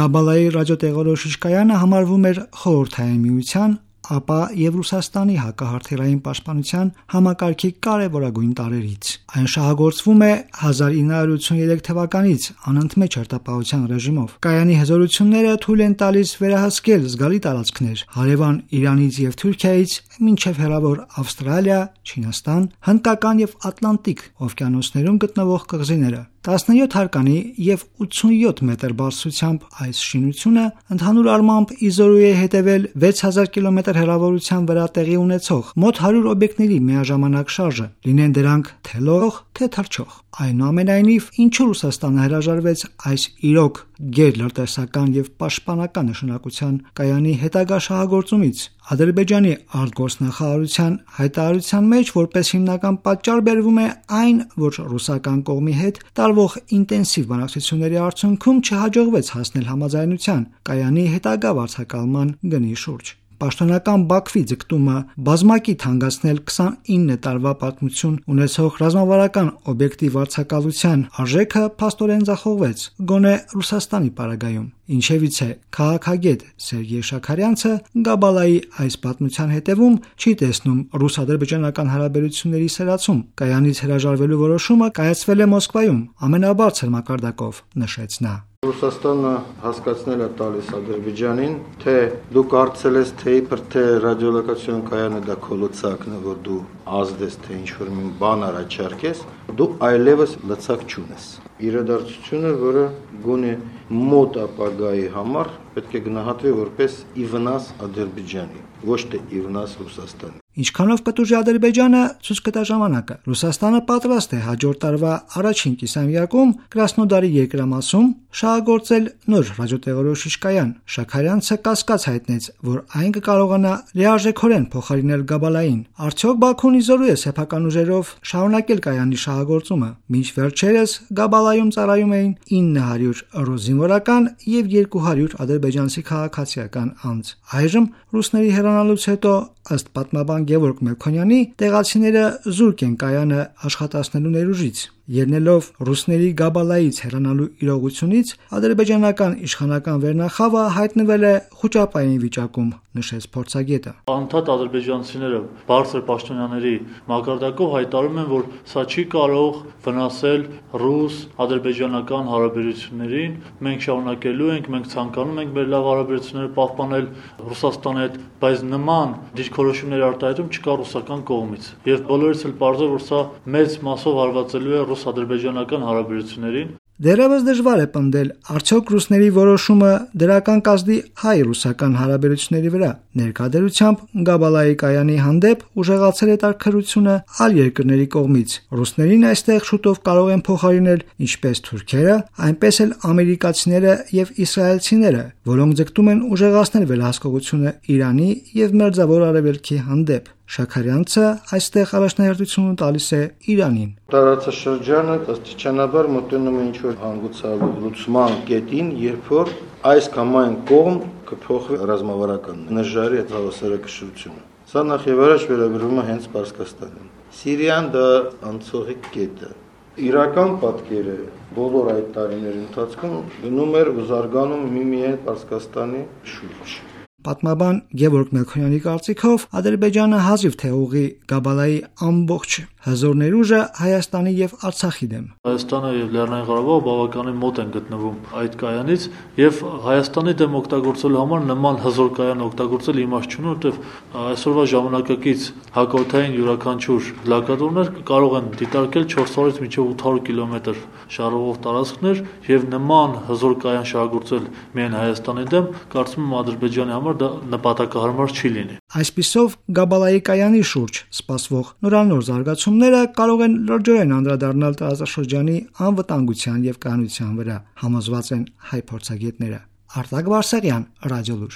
Գաբալայի ռադիոտեղորոշիչ կայանը համարվում էր Խորհրդային Միության, ապա եւ Ռուսաստանի հակահարթերային պաշտպանության համակարգի կարևորագույն տարրերից։ Այն շահագործվում է 1983 թվականից անընդմեջ հերթապահության ռեժիմով։ Կայանի հզորությունները թույլ են տալիս վերահսկել զգալի տարածքներ հարևան Իրանից եւ Թուրքիայից մինչեւ հեռավոր Ավստրալիա, Չինաստան, Հնդկական եւ Ատլանտիկ օվկիանոսներում գտնվող կղզիները։ 17 հարկանի եւ 87 մետր բարձրությամբ այս շինությունը ընդհանուր առմամբ իզորու է հետևել 6000 կիլոմետր հեռավորության վրա տեղի ունեցող մոտ 100 օբյեկտների միաժամանակ շարժը, լինեն դրանք թե լող, թե թռչող։ Այնուամենայնիվ, ինչու Ռուսաստանը հրաժարվեց այս իրոք գերլրտեսական եւ պաշտպանական նշանակության կայանի հետագա շահագործումից։ Ադրբեջանի արտգործնախարարության հայտարարության մեջ որպես հիմնական պատճառ բերվում է այն, որ ռուսական կողմի հետ տարվող ինտենսիվ բանակցությունների արդյունքում չհաջողվեց հասնել համաձայնության կայանի հետագա վարձակալման գնի շուրջ։ Պաշտոնական Բաքվի ձգտումը բազմակիտ հանգեցնել 29 տարվա պատմություն ունեցող ռազմավարական օբյեկտի վարձակալության արժեքը փաստորեն ձախողվեց, գոնե Ռուսաստանի պարագայում։ Ինչևից է քաղաքագետ Սերգեյ Շաքարյանցը Գաբալայի այս պատմության հետևում չի տեսնում ռուս-ադրբեջանական հարաբերությունների սրացում։ Կայանից հրաժարվելու որոշումը կայացվել է Մոսկվայում ամենաբարձր մակարդակով, նշեց նա։ Ռուսաստանը հասկացնել է տալիս Ադրբեջանին, թե դու կարծել ես, թե իբր թե ռադիոլոկացիոն կայանը դա քո լծակն է, որ դու ազդես, թե ինչ-որ մի բան առաջարկես, դու այլևս լծակ չունես։ Իրադարձությունը, որը գոնե մոտ ապագայի համար պետք է գնահատվի որպես ի վնաս Ադրբեջանի, ոչ թե ի վնաս Ռուսաստանի։ Ինչքանով կտուժի Ադրբեջանը, ցույց կտա ժամանակը։ Ռուսաստանը պատրաստ է հաջորդ տարվա առաջին կիսամյակում Կրասնոդարի երկրամասում շահագործել նոր ռադիոտեղորոշիչ կայան։ Շաքարյանցը կասկած հայտնեց, որ այն կկարողանա լիարժեքորեն փոխարինել Գաբալային։ Արդյոք Բաքուն իզորու է սեփական ուժերով շարունակել կայանի շահագործումը։ Մինչ վերջերս Գաբալայում ծառայում էին 900 ռուս զինվորական եւ 200 ադրբեջանցի քաղաքացիական անձ։ Այժմ ռուսների հեռանալուց հետո, ըստ պատմաբան Գևորգ Մելքոնյանի, տեղացիները զուրկ են կայանը աշխատացնելու ներուժից։ Ելնելով ռուսների Գաբալայից հեռանալու իրողությունից, ադրբեջանական իշխանական վերնախավը հայտնվել է խուճապային վիճակում, նշեց փորձագետը։ Անդադ ադրբեջանցիները բարձր պաշտոնյաների մակարդակով հայտարարում են, որ սա չի կարող վնասել ռուս-ադրբեջանական հարաբերություններին։ Մենք շարունակելու ենք, մենք ցանկանում ենք մեր լավ հարաբերությունները պահպանել Ռուսաստանի հետ, բայց նման դիրքորոշումների արտահայտում չկա ռուսական կողմից։ Եվ բոլորից էլ պարզ է, որ սա մեծ մասով հարվածելու է ռուս-ադրբեջանական հարաբերություններին։ Դեռևս դժվար է պնդել, արդյոք ռուսների որոշումը դրական կազդի հայ-ռուսական հարաբերությունների վրա։ Ներկայությամբ Գաբալայի կայանի հանդեպ ուժեղացել է տաքրությունը այլ երկրների կողմից։ Ռուսներին այստեղ շուտով կարող են փոխարինել ինչպես թուրքերը, այնպես էլ ամերիկացիները եւ իսրայելցիները, որոնք ձգտում են ուժեղացնել վերահսկողությունը Իրանի եւ Մերձավոր Արևելքի հանդեպ։ Շաքարյանցը այստեղ առաջնահերթություն տալիս է Իրանին։ Տարածաշրջանը աստիճանաբար մոտենում է ինչ-որ հանգուցալուծման կետին, երբ որ այս կամ այն կողմ կփոխվի ռազմավարական նժարի հավասարակշռությունը։ Սա նախ եւ առաջ վերագրվում է հենց Պարսկաստանին։ Սիրիան դա անցողի կետ է։ Իրական պատկերը բոլոր այդ տարիների ընթացքում գնում էր ու զարգանում միմիայն Պարսկաստանի շուրջ։ Պատմաբան Գևորգ Մելքոնյանի կարծիքով Ադրբեջանը հազիվ թե ուղի Գաբալայի ամբողջ հզոր ներուժը Հայաստանի եւ Արցախի դեմ։ Հայաստանը եւ Լեռնային Ղարաբաղը բավականին մոտ են գտնվում այդ կայանից եւ Հայաստանի դեմ օգտագործելու համար նման հզոր կայան օգտագործել իմաստ չունի, որովհետեւ այսօրվա ժամանակակից հակօթային յուրաքանչյուր լակատորներ կարող են դիտարկել 400-ից մինչեւ 800 կիլոմետր շարժվող տարածքներ եւ նման հզոր կայան շահագործել միայն Հայաստանի դեմ, կարծում եմ Ադրբեջանի համար դա նպատակահարմար չի լինի։ Այսպիսով Գաբալայի կայանի շուրջ սպասվող նորանոր զարգացումները կարող են լրջորեն անդրադառնալ տարածաշրջանի անվտանգության եւ կայունության վրա, համոզված են հայ փորձագետները։ Արտակ Բարսեղյան, Ռադիոլուր։